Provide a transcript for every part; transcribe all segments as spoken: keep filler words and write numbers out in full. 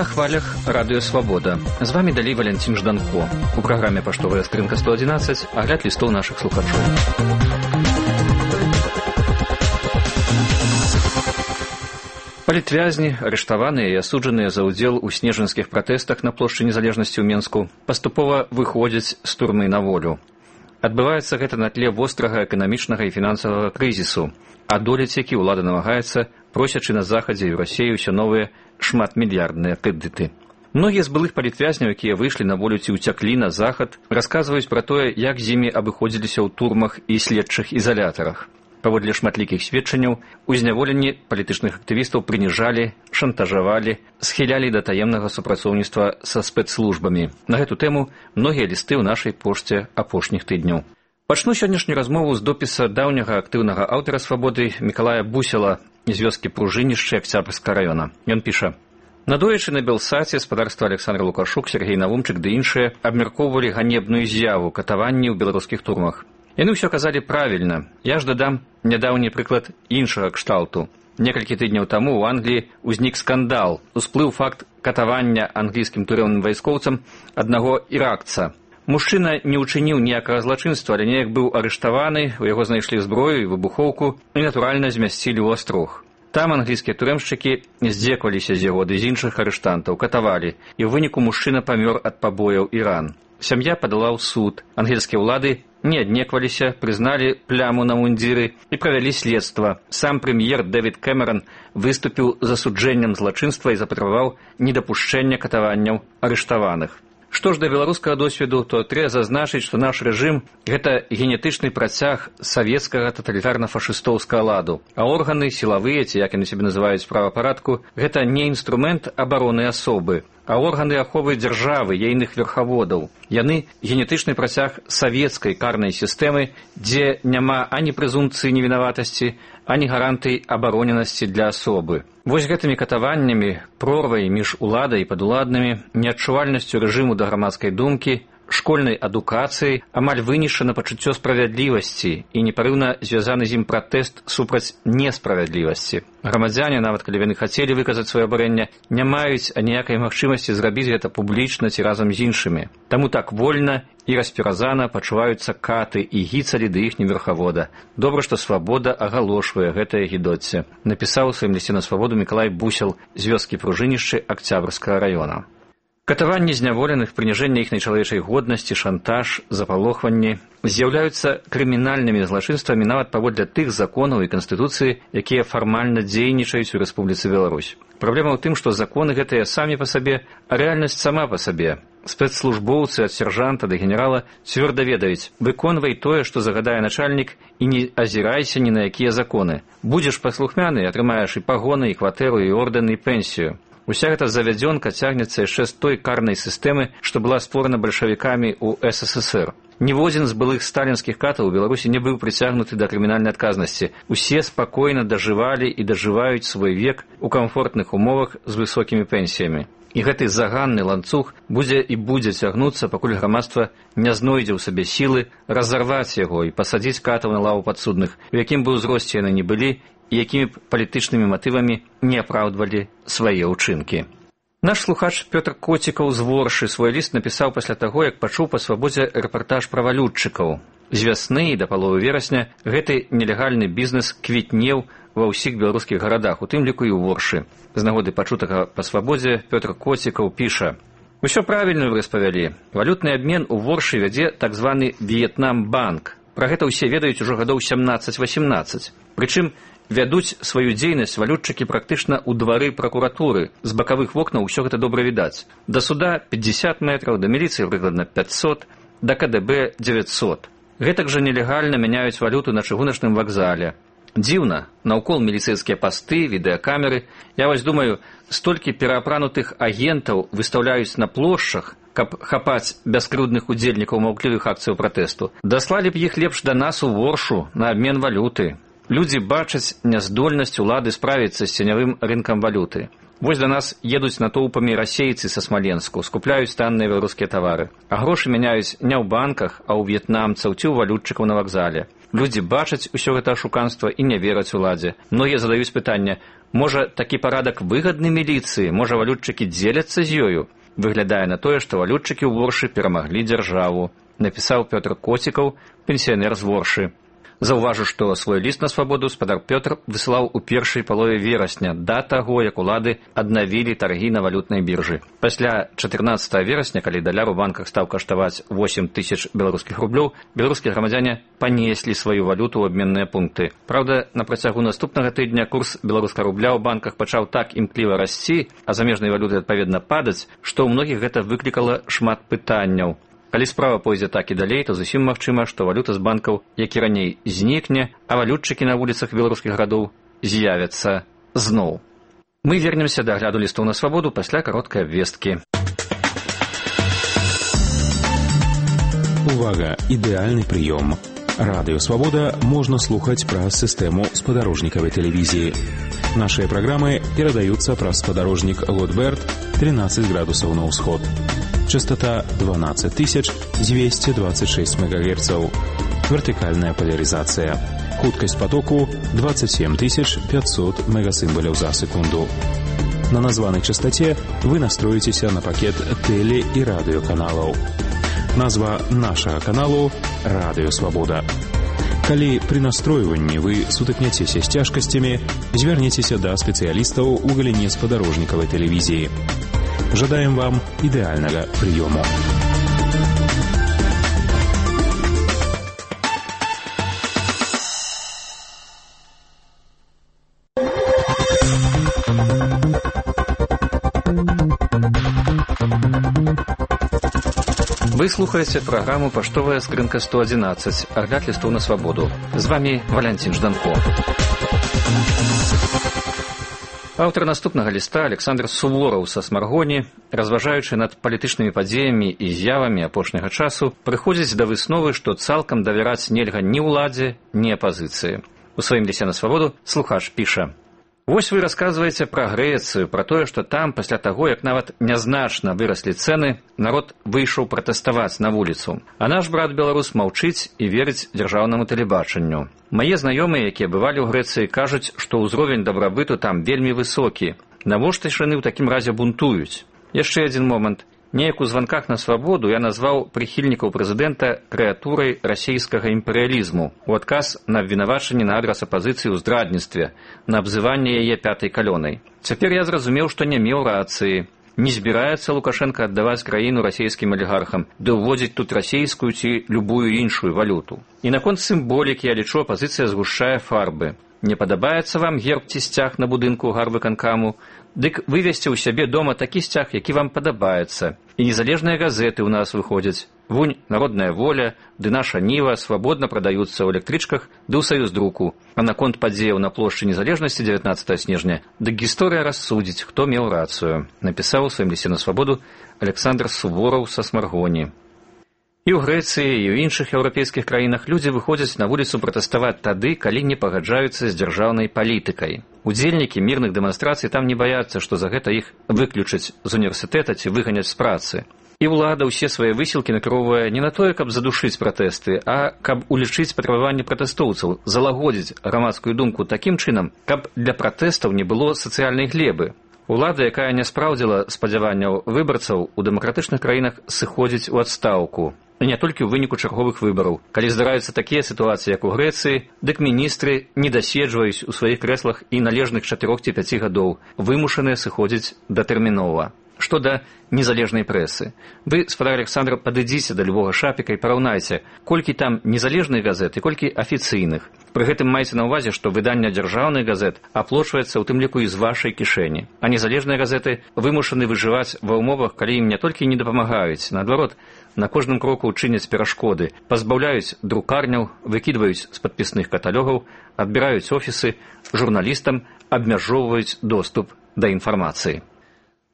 на хвалях Радыё Свабода. З вами далей Валянцін Жданко. У праграме «Паштовая скрынка сто адзінаццаць» агляд лістоў нашых слухачоў. Палітвязні, арыштаваныя і асуджаныя за ўдзел у снежаньскіх пратэстах на плошчы Незалежнасці ў Менску паступова выходзяць з турмы на волю. Адбываецца гэта на тле вострага эканамічнага і фінансавага крызісу, адолець які ўлада намагаецца, просячы на захадзе і ў Расіі ўсё новыя шматмільярдныя крэдыты. Многія з былых палітвязняў, якія выйшлі на волю ці ўцяклі на захад, расказваюць пра тое, як з імі абыходзіліся ў турмах і следчых ізалятарах. Паводле шматлікіх сведчанняў, у зняволенні палітычных актывістаў прыніжалі, шантажавалі, схілялі да таемнага супрацоўніцтва са спецслужбамі. На гэту тэму многія лісты ў нашай пошце апошніх тыдняў. Пачну сённяшнюю размову з допіса даўняга актыўнага аўтара «Свабоды» Мікалая Бусела з вёскі Пружынішчы Акцябрскага раёна. Ён піша: «Надоечы на Белсаце спадарства Александр Лукашук, Сергей Навумчык ды іншыя абмяркоўвалі ганебную з'яву катаванні ў беларускіх турмах. Яны ўсё казалі правільна. Я ж дадам нядаўні прыклад іншага кшталту. Некалькі тыдняў таму ў Англіі ўзнік скандал. Усплыў факт катавання англійскім турэмным вайскоўцам аднаго іракца. Мужчына не ўчыніў ніякага злачынства, але неяк быў арыштаваны, у яго знайшлі зброю і выбухоўку і, натуральна, змясцілі ў астрог. Там англійскія турэмшчыкі здзекваліся з яго ды з іншых арыштантаў, катавалі, і ў выніку мужчына памёр ад пабояў і ран. Сям'я падала ў суд. Ангельскія ўлады не аднекваліся, прызналі пляму на мундзіры і правялі следства. Сам прэм'ер Дэвід Кэмерон выступіў з асуджэннем злачынства і запатрабаваў недапушчэння катаванняў арыштаваных. Што ж да беларускага досведу, то трэба зазначыць, што наш рэжым – гэта генетычны працяг савецкага таталітарна-фашыстоўскага ладу, а органы сілавыя, ці як яны сябе называюць правапарадку, гэта не інструмент абароны асобы, а органы аховы дзяржавы, ейных верхаводаў. Яны генетычны працяг савецкай карнай сістэмы, дзе няма ані прэзумпцыі невінаватасці, ані гарантый абароненасці для асобы. Вось гэтымі катаваннямі, прорвай між уладай і падуладнымі, неадчувальнасцю рэжыму да грамадскай думкі, школьнай адукацыяй амаль вынішчана пачуццё справядлівасці і непарыўна звязаны з ім пратэст супраць несправядлівасці. Грамадзяне, нават калі яны хацелі выказаць сваё абурэнне, не маюць аніякай магчымасці зрабіць гэта публічна ці разам з іншымі. Таму так вольна і распіразана пачуваюцца каты і гіцалі да іхні верхавода. Добра, што Свабода агалошвае гэтае гідоцце, напісаў у сваім лісце на Свабоду Мікалай Бусел з вёскі Пружынішчы Акцябрскага раёна. Катаванні зняволеных, прыніжэнне іхнай чалавечай годнасці, шантаж, запалохванні з'яўляюцца крымінальнымі злачынствамі нават паводле тых законаў і канстытуцыі, якія фармальна дзейнічаюць у Рэспубліцы Беларусь. Праблема ў тым, што законы гэтыя самі па сабе, а рэальнасць сама па сабе. Спецслужбоўцы ад сяржанта да генерала цвёрда ведаюць: выконвай тое, што загадае начальнік, і не азірайся ні на якія законы. Будзеш паслухмяны, атрымаеш і пагоны, і кватэру, і ордэн, і пенсію. Уся гэта завядзёнка цягнецца яшчэ з той карнай сістэмы, што была створана бальшавікамі ў эс эс эс эр. Ніводзін з былых сталінскіх катаў у Беларусі не быў прыцягнуты да крымінальнай адказнасці. Усе спакойна дажывалі і дажываюць свой век у камфортных умовах з высокімі пенсіямі. І гэты заганны ланцуг будзе і будзе цягнуцца, пакуль грамадства не знойдзе ў сабе сілы разарваць яго і пасадзіць катаў на лаву падсудных, у якім бы ўзросце яны не былі, і якімі б палітычнымі матывамі не апраўдвалі свае ўчынкі. Наш слухач Пётр Коцікаў з Воршы свой ліст напісаў пасля таго, як пачуў па Свабодзе рэпартаж пра валютчыкаў. З вясны і да паловы верасня гэты нелегальны бізнес квітнеў ва ўсіх беларускіх гарадах, у тым ліку і ў Воршы. З нагоды пачутага па Свабодзе Пётр Коцікаў піша: «Усё правільна вы распавялі. Валютны абмен у Воршы вядзе так званы В'етнам-банк. Пра гэта ўсе ведаюць ужо гадоў сямнаццаць-васемнаццаць. Прычым вядуць сваю дзейнасць валютчыкі практычна ў двары пракуратуры. З бакавых вокнаў усё гэта добра відаць. Да суда пятьдесят метраў, да міліцыі прыкладна пятьсот, да ка дэ бэ дзевяцьсот. Гэтак жа нелегальна мяняюць валюту на чыгуначным вакзале. Дзіўна, наўкол міліцэйскія пасты, відэакамеры. Я вось думаю, столькі пераапранутых агентаў выстаўляюць на плошчах, каб хапаць бяскрыўдных удзельнікаў маўклівых акцыяў пратэсту. Даслалі б іх лепш да нас у Воршу на абмен валюты. Людзі бачаць няздольнасць улады справіцца з ценявым рынкам валюты. Вось да нас едуць натоўпамі расейцы са Смаленску, скупляюць танныя беларускія тавары. А грошы мяняюць не ў банках, а ў в'етнамцаў ці ў валютчыкаў на вакзале. Людзі бачаць усё гэта ашуканства і не вераць уладзе. Многія задаюць пытанне: можа, такі парадак выгадны міліцыі, можа, валютчыкі дзеляцца з ёю? Выглядае на тое, што валютчыкі ў Воршы перамаглі дзяржаву, напісаў Пётр Коцікаў, пенсіянер з Воршы. Заўважу, што свой ліст на свабоду спадар Пётр высылаў у першай палове верасня, да таго, як улады аднавілі таргі на валютнай біржы. Пасля чатырнаццатага верасня, калі даляр у банках стаў каштаваць восем тысяч беларускіх рублёў, беларускія грамадзяне панеслі сваю валюту ў абменныя пункты. Праўда, на працягу наступнага тыдня курс беларускага рубля ў банках пачаў так імкліва расці, а замежнай валюты адпаведна падаць, што ў многіх гэта выклікала шмат пытанняў. Калі справа пойдзе так і далей, то зусім магчыма, што валюта з банкаў, як і раней, знікне, а валютчыкі на вуліцах беларускіх гарадоў з'явяцца зноў. Мы вернемся да агляду лістоў на свабоду пасля кароткай абвесткі. Увага! Ідэальны прыём. Радыё «Свабода» можна слухаць праз сістэму спадарожнікавай тэлевізіі. Нашыя праграмы перадаюцца праз спадарожнік Лотберт тринадцать градусаў на ўсход. Частота дванадцать тысяч двести двадцать шесть мегагерцаў. Вертикальная поляризация. Хуткость потоку двадцать семь тысяч пятьсот мегасимволів за секунду. На названной частоте вы настроитесь на пакет теле- и радиоканалов. Назва нашего каналу – Радио Свобода. Калі при настройванні вы сутыкняцеся з цяжкасцямі, звярніцеся да спецыялістаў у галіне спадарожнікавай тэлевізіі. Жадаем вам ідэальнага прыёму. Вы слухаеце праграму «Паштовая скрынка сто одиннадцать», агляд лістоў на свабоду. З вами Валянцін Жданко. Аўтар наступнага ліста Александр Сувораў са Смаргоні, разважаючы над палітычнымі падзеямі і з'явамі апошняга часу, прыходзіць да высновы, што цалкам давяраць нельга ні ўладзе, ні апазіцыі. У сваім лісце на свабоду слухач піша: «Вось вы расказваеце пра Грэцыю, пра тое, што там, пасля таго, як нават нязначна выраслі цэны, народ выйшаў пратэставаць на вуліцу. А наш брат-беларус маўчыць і верыць дзяржаўнаму тэлебачанню. Мае знаёмыя, якія бывалі ў Грэцыі, кажуць, што ўзровень дабрабыту там вельмі высокі. Навошта ж яны ў такім разе бунтуюць? Яшчэ адзін момант. Неяк у званках на свабоду я назваў прыхільнікаў прэзідэнта крэатурай расійскага імперыялізму у адказ на абвінавачанне на адрас апазіцыі ў здрадніцтве, на абзыванне яе пятай калёнай. Цяпер я зразумеў, што не меў рацыі. Не збіраецца Лукашенко аддаваць краіну расійскім алігархам, ды ўводзіць тут расійскую ці любую іншую валюту. І наконт сімволікі, я лічу, апазіцыя згушчае фарбы. Не падабаецца вам герб ці сцяг на будынку гарвыканкаму? Дык вывесці ў сябе дома такі сцяг, які вам падабаецца. І незалежныя газеты ў нас выходзяць. Вунь, Народная воля, ды наша Ніва свабодна прадаюцца ў электрычках ды ў саюздруку. А наконт падзеяў на плошчы незалежнасці дзевятнаццатага снежня, дык гісторыя рассудзіць, хто меў рацыю, напісаў у сваім лісце на свабоду Александр Сувораў са Смаргоні. І ў Грэцыі, і ў іншых еўрапейскіх краінах людзі выходзяць на вуліцу пратэставаць тады, калі не пагаджаюцца з дзяржаўнай палітыкай. Удзельнікі мірных дэманстрацый там не баяцца, што за гэта іх выключаць з універсітэта ці выганяць з працы. І ўлада ўсе свае высілкі накіроўвае не на тое, каб задушыць пратэсты, а каб улічыць патрабаванні пратэстоўцаў, залагодзіць грамадскую думку такім чынам, каб для пратэстаў не было сацыяльнай глебы. Улада, якая не спраўдзіла спадзяванняў выбарцаў, у дэмакратычных краінах сыходзіць у адстаўку. Не толькі ў выніку чарговых выбараў. Калі здараюцца такія сітуацыі, як у Грэцыі, дык міністры не даседжваюць у сваіх крэслах і належных чатырох ці пяці гадоў, вымушаныя сыходзіць датэрмінова. Што да незалежнай прэсы. Вы, спадар Александр, падыдзіце да любога шапіка і параўнайце, колькі там незалежных газет і колькі афіцыйных. Пры гэтым майце на ўвазе, што выданне дзяржаўных газет аплочваецца ў тым ліку і з вашай кішэні. А незалежныя газеты вымушаны выжываць ва ўмовах, калі ім не толькі не дапамагаюць, наадварот, на кожным кроку чыняць перашкоды, пазбаўляюць друкарняў, выкідваюць з падпісных каталогаў, адбіраюць офісы, журналістам абмяжоўваюць доступ да інфармацыі.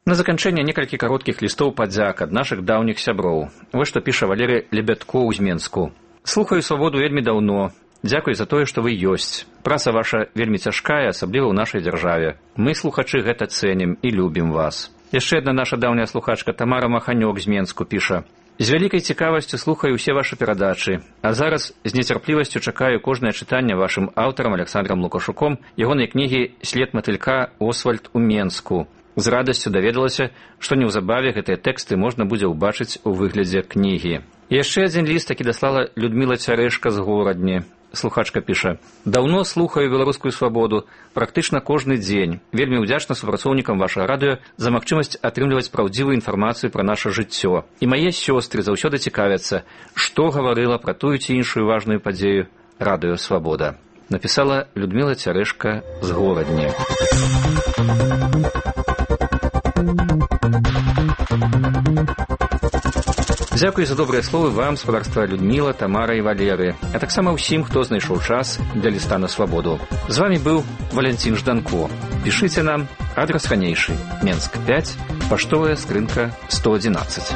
На заканчэнне некалькі кароткіх лістоў падзяк ад нашых даўніх сяброў. Вось што піша Валерый Лебядко з Менску. Слухаю свабоду вельмі даўно. Дзякуй за тое, што вы ёсць. Праца ваша вельмі цяжкая, асабліва ў нашай дзяржаве. Мы, слухачы, гэта цэнім і любім вас. Яшчэ адна наша даўняя слухачка Тамара Маханёк з Менску піша. З вялікай цікавасцю слухаю ўсе вашы перадачы, а зараз з нецярплівасцю чакаю кожнае чытанне вашым аўтарам Александрам Лукашуком ягонай кнігі «След матылька. Освальд у Менску». З радасцю даведалася, што неўзабаве гэтыя тэксты можна будзе ўбачыць у выглядзе кнігі. І яшчэ адзін ліст, які даслала Людміла Цярэшка з Горадні. Слухачка піша: «Даўно слухаю беларускую свабоду, практычна кожны дзень. Вельмі ўдзячна супрацоўнікам вашага радыё за магчымасць атрымліваць праўдзівую інфармацыю пра наша жыццё. І мае сёстры заўсёды цікавяцца, што гаварыла пра тую ці іншую важную падзею радыё Свабода». Напісала Людміла Цярэшка з Горадні. Дзякуй за добрыя словы вам, спадарства Людміла, Тамара і Валеры, а таксама ўсім, хто знайшоў час для ліста на свабоду. З вами быў Валянцін Жданко. Пішыце нам, адрас ранейшы, Менск пяць, паштовая скрынка сто адзінаццаць.